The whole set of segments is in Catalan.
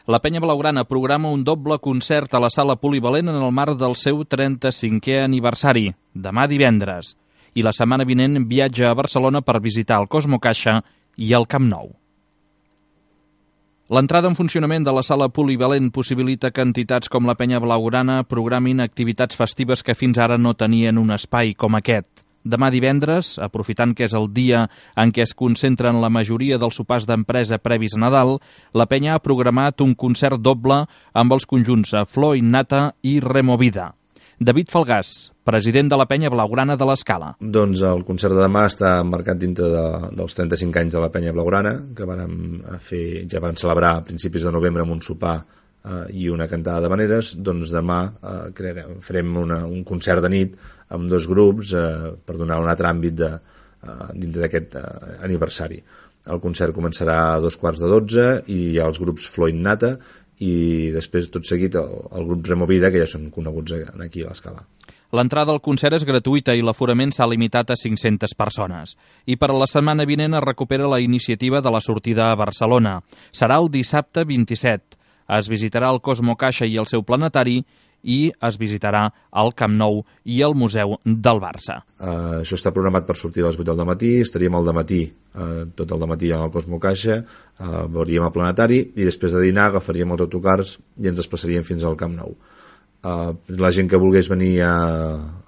La Penya Blaugrana programa un doble concert a la sala polivalent en el marc del seu 35è aniversari, demà divendres, i la setmana vinent viatja a Barcelona per visitar el Cosmo Caixa i el Camp Nou. L'entrada en funcionament de la sala polivalent possibilita que entitats com la Penya Blaugrana programin activitats festives que fins ara no tenien un espai com aquest. Demà divendres, aprofitant que és el dia en què es concentren la majoria dels sopars d'empresa previs a Nadal, la Penya ha programat un concert doble amb els conjunts Flor Innata i Removida. David Falgàs, president de la Penya Blaugrana de l'Escala. Doncs el concert de demà està marcat dintre dels 35 anys de la Penya Blaugrana, que ja van celebrar a principis de novembre amb un sopar i una cantada d'havaneres. Doncs demà farem un concert de nit amb dos grups per donar un altre àmbit dintre d'aquest aniversari. El concert començarà a 11:45 i hi ha els grups Flor Innata i després tot seguit el grup Removida, que ja són coneguts aquí a l'Escala. L'entrada al concert és gratuïta i l'aforament s'ha limitat a 500 persones. I per a la setmana vinent es recupera la iniciativa de la sortida a Barcelona. Serà el dissabte 27. Es visitarà el Cosmo Caixa i el seu planetari i es visitarà el Camp Nou i el Museu del Barça. Això està programat per sortir a les 8 del matí, estaríem al dematí, tot el dematí al Cosmo Caixa, veuríem el planetari i després de dinar agafaríem els autocars i ens desplaçaríem fins al Camp Nou. La gent que volgués venir a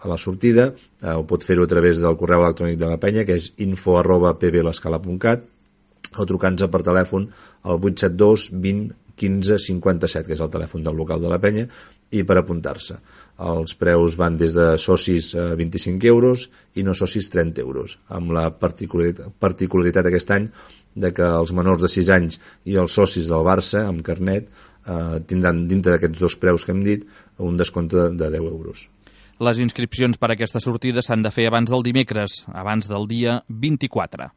la sortida ho pot fer-ho a través del correu electrònic de la Penya, que és info@pblescala.cat, o trucant-nos per telèfon al 872 20 15 57, que és el telèfon del local de la Penya, i per apuntar-se. Els preus van des de socis a 25 euros i no socis 30 euros, amb la particularitat aquest any de que els menors de 6 anys i els socis del Barça amb carnet tindran dintre d'aquests dos preus que hem dit un descompte de 10 euros. Les inscripcions per a aquesta sortida s'han de fer abans del dimecres, abans del dia 24.